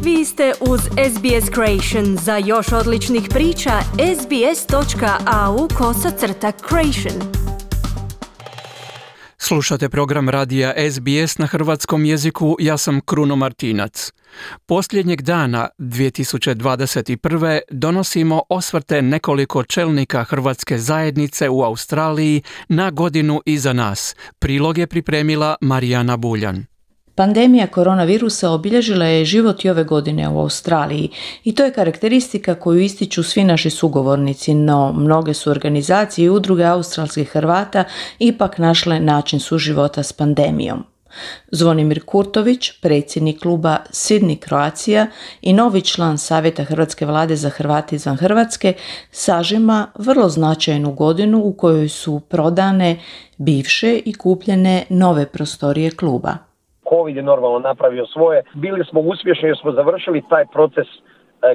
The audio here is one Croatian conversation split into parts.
Vi ste uz SBS Creation. Za još odličnih priča, sbs.au/creation. Slušate program radija SBS na hrvatskom jeziku, ja sam Kruno Martinac. Posljednjeg dana 2021. donosimo osvrte nekoliko čelnika hrvatske zajednice u Australiji na godinu iza nas. Prilog je pripremila Marijana Buljan. Pandemija koronavirusa obilježila je život i ove godine u Australiji i to je karakteristika koju ističu svi naši sugovornici, no mnoge su organizacije i udruge australskih Hrvata ipak našle način suživota s pandemijom. Zvonimir Kurtović, predsjednik kluba Sydney Croatia i novi član Savjeta Hrvatske vlade za Hrvate izvan Hrvatske, sažima vrlo značajnu godinu u kojoj su prodane bivše i kupljene nove prostorije kluba. Covid je normalno napravio svoje. Bili smo uspješni jer smo završili taj proces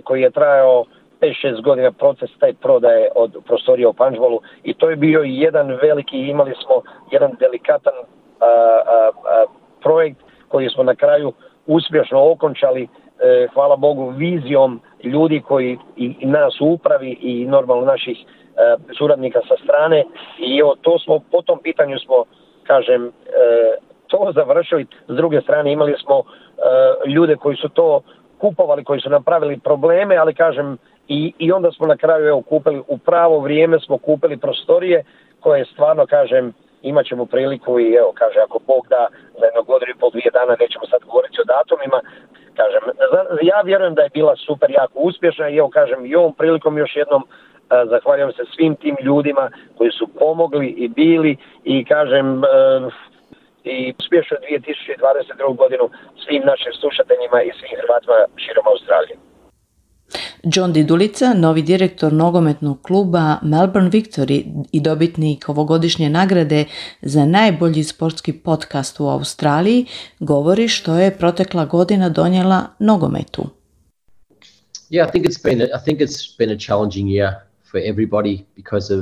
koji je trajao 5-6 godina, proces taj prodaje od prostorija u Pančevu, i to je bio jedan veliki, imali smo jedan delikatan projekt koji smo na kraju uspješno okončali, hvala Bogu, vizijom ljudi koji i nas u upravi i normalno naših suradnika sa strane, i to smo, po tom pitanju smo, kažem, to završili. S druge strane imali smo ljude koji su to kupovali, koji su napravili probleme, ali kažem i onda smo na kraju kupili u pravo vrijeme, smo kupili prostorije koje stvarno, kažem, imat ćemo priliku i kaže, ako Bog da, za jedno godinu i pol, 2 dana, nećemo sad govoriti o datumima, kažem, ja vjerujem da je bila super, jako uspješna i kažem, i ovom prilikom još jednom zahvaljujem se svim tim ljudima koji su pomogli i bili i kažem, i uspješnu 2022. godinu svim našim slušateljima i svim Hrvatima širom Australije. John Didulica, novi direktor nogometnog kluba Melbourne Victory i dobitnik ovogodišnje nagrade za najbolji sportski podcast u Australiji, govori što je protekla godina donijela nogometu. Yeah, I think it's been a challenging year for everybody because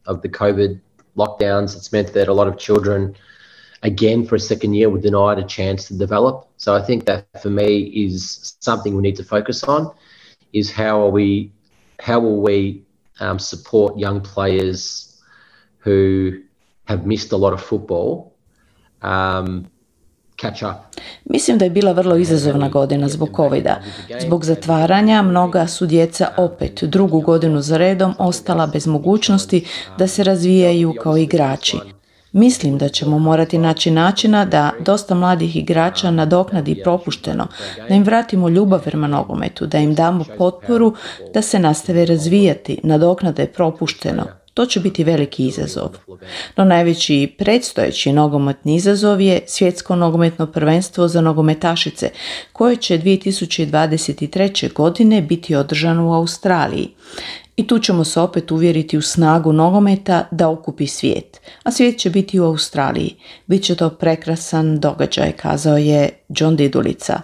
of the COVID lockdowns. It's meant that a lot of children, again for a second year, were denied a chance to develop. So I think that for me is something we need to focus on, is how will we support young players who have missed a lot of football catch up. Mislim da je bila vrlo izazovna godina zbog covida. Zbog zatvaranja mnoga su djeca opet drugu godinu za redom ostala bez mogućnosti da se razvijaju kao igrači. Mislim da ćemo morati naći načina da dosta mladih igrača nadoknadi propušteno, da im vratimo ljubav prema nogometu, da im damo potporu da se nastave razvijati, nadoknade propušteno. To će biti veliki izazov. No najveći predstojeći nogometni izazov je svjetsko nogometno prvenstvo za nogometašice, koje će 2023. godine biti održano u Australiji. I tu ćemo se opet uvjeriti u snagu nogometa da okupi svijet. A svijet će biti u Australiji. Biće to prekrasan događaj, kazao je John Didulica.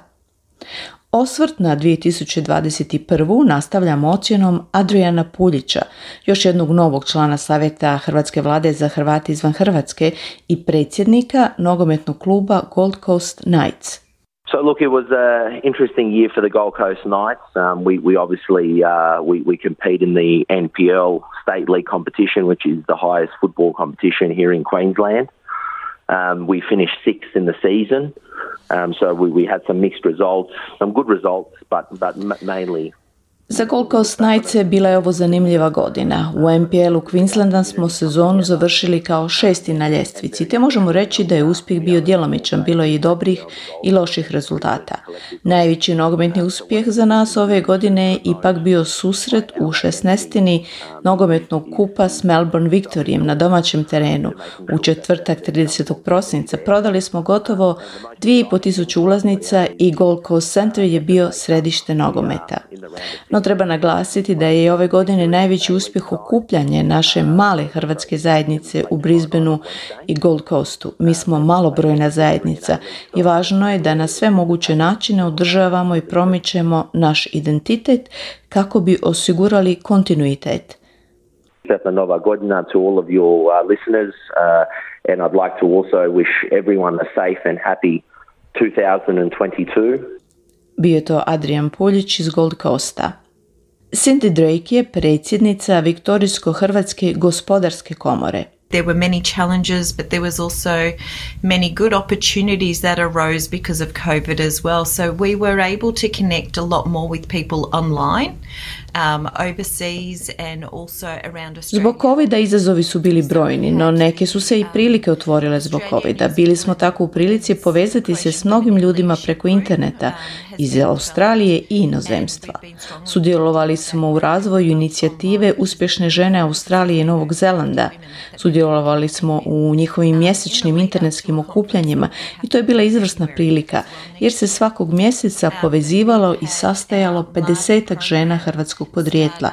Osvrt na 2021. nastavljamo ocjenom Adriana Puljića, još jednog novog člana Savjeta Hrvatske vlade za Hrvate izvan Hrvatske i predsjednika nogometnog kluba Gold Coast Knights. So look, it was an interesting year for the Gold Coast Knights. We obviously we compete in the NPL State League competition, which is the highest football competition here in Queensland. We finished 6th in the season, so we had some mixed results, some good results, but mainly. Za Gold Coast Knights bila je ovo zanimljiva godina. U NPL-u Queenslanda smo sezonu završili kao 6. na ljestvici, te možemo reći da je uspjeh bio djelomičan, bilo je i dobrih i loših rezultata. Najveći nogometni uspjeh za nas ove godine je ipak bio susret u 16. nogometnog kupa s Melbourne Victoryjem na domaćem terenu. U četvrtak 30. prosinca prodali smo gotovo 2500 ulaznica i Gold Coast Centre je bio središte nogometa. No treba naglasiti da je ove godine najveći uspjeh okupljanje naše male hrvatske zajednice u Brisbaneu i Gold Coastu. Mi smo malobrojna zajednica i važno je da na sve moguće načine održavamo i promičemo naš identitet kako bi osigurali kontinuitet. Sretna Nova godina to all of your listeners, and I'd like to also wish everyone a safe and happy 2022. Bio je to Adrian Puljić iz Gold Coasta. Cindy Drake je predsjednica Viktorijsko-hrvatske gospodarske komore. There were many challenges, but there was also many good opportunities that arose because of COVID as well. So we were able to connect a lot more with people online, overseas and also around Australia. Zbog covida izazovi su bili brojni, no neke su se i prilike otvorile zbog covida. Bili smo tako u prilici povezati se s mnogim ljudima preko interneta iz Australije i inozemstva. Sudjelovali smo u razvoju inicijative Uspješne žene Australije i Novog Zelanda. Sudjelovali smo u njihovim mjesečnim internetskim okupljanjima i to je bila izvrsna prilika, jer se svakog mjeseca povezivalo i sastajalo 50-ak žena hrvatskog podrijetla.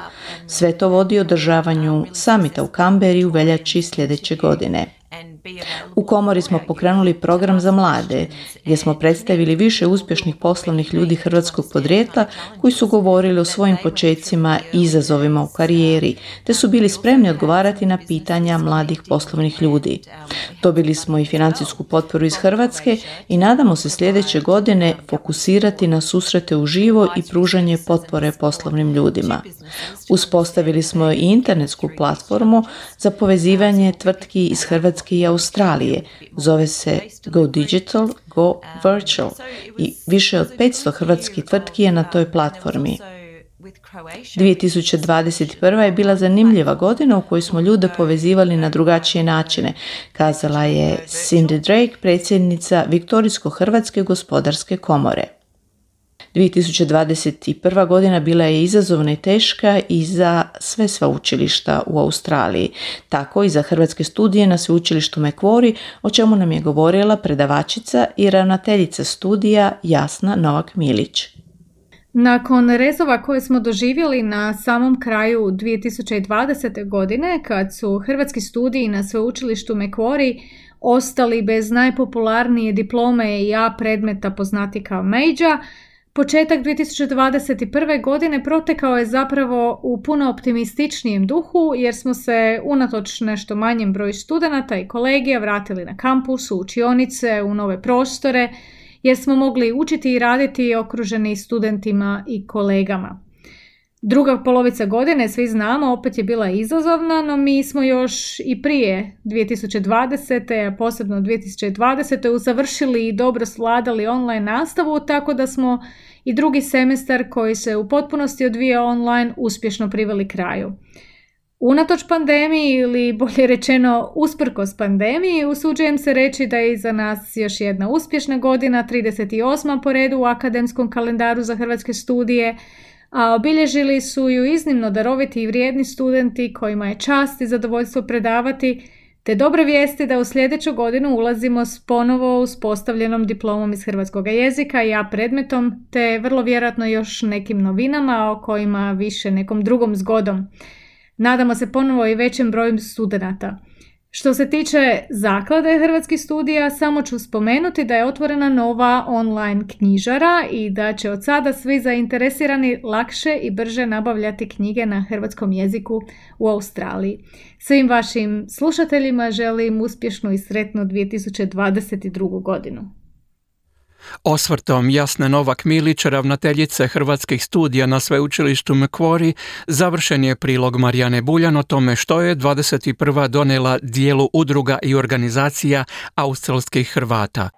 Sve to vodi održavanju samita u Canberri u veljači sljedeće godine. U komori smo pokrenuli program za mlade, gdje smo predstavili više uspješnih poslovnih ljudi hrvatskog podrijetla koji su govorili o svojim počecima i izazovima u karijeri, te su bili spremni odgovarati na pitanja mladih poslovnih ljudi. Dobili smo i financijsku potporu iz Hrvatske i nadamo se sljedeće godine fokusirati na susrete uživo i pružanje potpore poslovnim ljudima. Uspostavili smo i internetsku platformu za povezivanje tvrtki iz Hrvatske i Australije. Zove se Go Digital, Go Virtual i više od 500 hrvatskih tvrtki je na toj platformi. 2021. je bila zanimljiva godina u kojoj smo ljude povezivali na drugačije načine, kazala je Cindy Drake, predsjednica Viktorijsko-hrvatske gospodarske komore. 2021. godina bila je izazovna i teška i za sve sveučilišta u Australiji, tako i za hrvatske studije na sveučilištu Macquarie, o čemu nam je govorila predavačica i ravnateljica studija Jasna Novak-Milić. Nakon rezova koje smo doživjeli na samom kraju 2020. godine, kad su hrvatski studiji na sveučilištu Macquarie ostali bez najpopularnije diplome i A predmeta poznati kao major, početak 2021. godine protekao je zapravo u puno optimističnijem duhu, jer smo se unatoč nešto manjem broju studenata i kolegija vratili na kampus, u učionice, u nove prostore, jer smo mogli učiti i raditi okruženi studentima i kolegama. Druga polovica godine, svi znamo, opet je bila izazovna, no mi smo još i prije 2020. a posebno 2020. završili i dobro svladali online nastavu, tako da smo i drugi semestar koji se u potpunosti odvija online uspješno priveli kraju. Unatoč pandemiji, ili bolje rečeno usprkos pandemiji, usuđujem se reći da je iza nas još jedna uspješna godina, 38. po redu u akademskom kalendaru za hrvatske studije, a obilježili su ju iznimno daroviti i vrijedni studenti kojima je čast i zadovoljstvo predavati, te dobre vijesti da u sljedeću godinu ulazimo s ponovo uspostavljenom diplomom iz hrvatskog jezika i A predmetom, te vrlo vjerojatno još nekim novinama o kojima više nekom drugom zgodom. Nadamo se ponovo i većem broju studenata. Što se tiče zaklade hrvatskih studija, samo ću spomenuti da je otvorena nova online knjižara i da će od sada svi zainteresirani lakše i brže nabavljati knjige na hrvatskom jeziku u Australiji. Svim vašim slušateljima želim uspješnu i sretnu 2022. godinu. Osvrtom Jasne Novak-Milić, ravnateljice hrvatskih studija na sveučilištu Macquarie, završen je prilog Marijane Buljan o tome što je 21. donijela dijelu udruga i organizacija australskih Hrvata.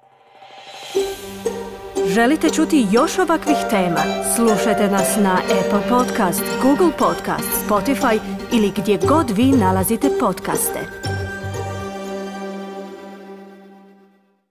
Želite čuti još ovakvih tema? Slušajte nas na Apple Podcast, Google Podcast, Spotify ili gdje god vi nalazite podcaste.